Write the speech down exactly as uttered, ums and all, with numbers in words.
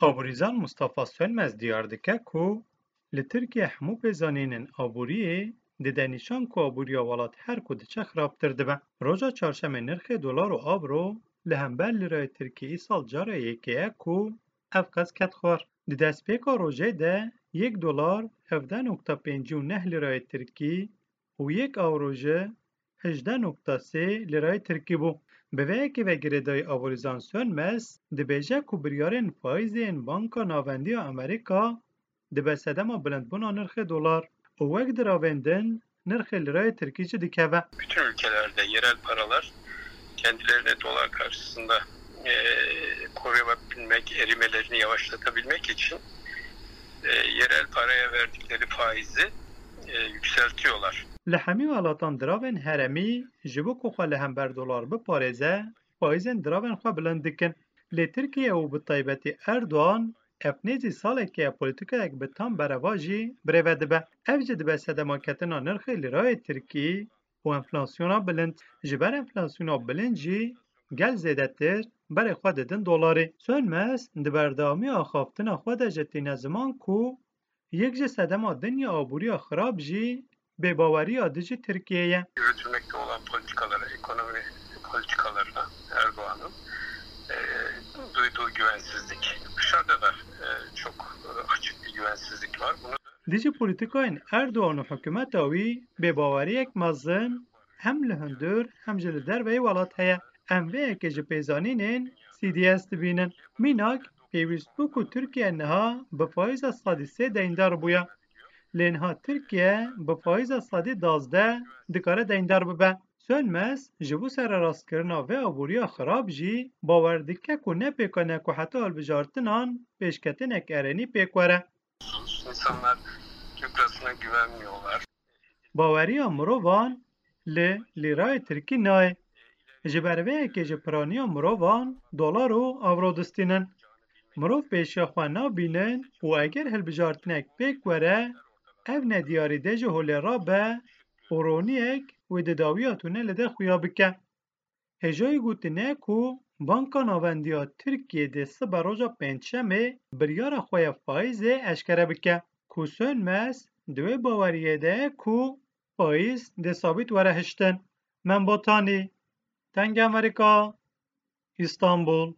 Aborîzan Mustafa Sönmez diyar dike ku li Tirkiye hemû pêzanînên aboriyê dide nîşan ku aboriya welat her ku diçe xirabtir dibe. Roja çarşemê nirxê dolar û avro li hember lîrayê tirkî îsal cara yekê ye ku ev qez ket xwar. Di destpêka rojê de yek dolar hevdeh nokta pêncî û neh lîrayê tirkî û yek avro jî hejdeh nokta sê lîrayê tirkî bû. Bi vê yekê ve girêdayî Aborîzan Sönmez dibêje ku biryarên faîzê yên Banka Navendî ya Amerîka dibe sedema bilindbûna nirxê dolar û wek diravên din nirxê lîrayê tirkî jî dikeve. Bütün ülkelerde yerel paralar kendilerine dolar karşısında, e, koruyabilmek, erimelerini yavaşlatabilmek için, e, yerel paraya verdikleri faizi, e, yükseltiyorlar. Li hemî welatan diravên herêmî ji bo ku xwe li hember dolar biparêze, faîzên diravên xwe bilind dikin. Lê Tirkiye û bi taybetî Erdogan ev nêzî salekê ye polîtîkayek bi tam berevajî birêve dibe. Ev jî dibe sedema ketina nirxê lîrayê tirkî û enflasyona bilind. Ji ber enflasyona bilind jî gel zêdetir berê xwe didin dolarê. Sönmez di berdewamiya axaftina xwe de jî tîne ziman ku yek ji sedema din ya aboriya xirab jî bêbaweriya dijî Tirkiyê ye. Yürütülmekte olan politikalara, ekonomi politikalarına Erdoğan'ın, e, duyduğu güvensizlik. Dışarıda da, e, çok, e, açık bir güvensizlik var. Bunu Dijî polîtîkayên Erdogan û hikûmeta wî bêbaweriyek mezin hem li hundir hem jî li derveyî welat heye. Em vê yekê ji pêzanînên C D S dibînin. Mînak, pêwîst bû ku Tirkiye niha bi faîza sedî sê deyndar bûya. Lê niha Tirkiye bi faîza sedî dazdeh dikare deyndar bibe. Sönmez ji bo sererastkirina vê aboriya xirab jî bawer dike ku ne pêkan e ku heta hilbijartinan pêşketinek erênî pêk were. İnsanlar Türk lirasına güvenmiyorlar. Baweriya mirovan li lîrayê tirkî nayê. Ji ber vê yekê ji piraniya mirovan dolar û avro distînin. Mirov pêşiya xwe nabînin û eger hilbijartinek pêk were, ev nediyarî dê ji holê rabe û roniyek wê di dawiya tune li de xuya bike. Hêjayî gotine ku Banka Navendî ya Tirkiyê dê sibe roja Pêncşemê biryara xwe ya faîzê eşkere bike, ku Sönmez di wê baweriyê de ye ku faîz dê sabît were hiştin. Mem Botanî, Dengê Amerîka, Îstanbul.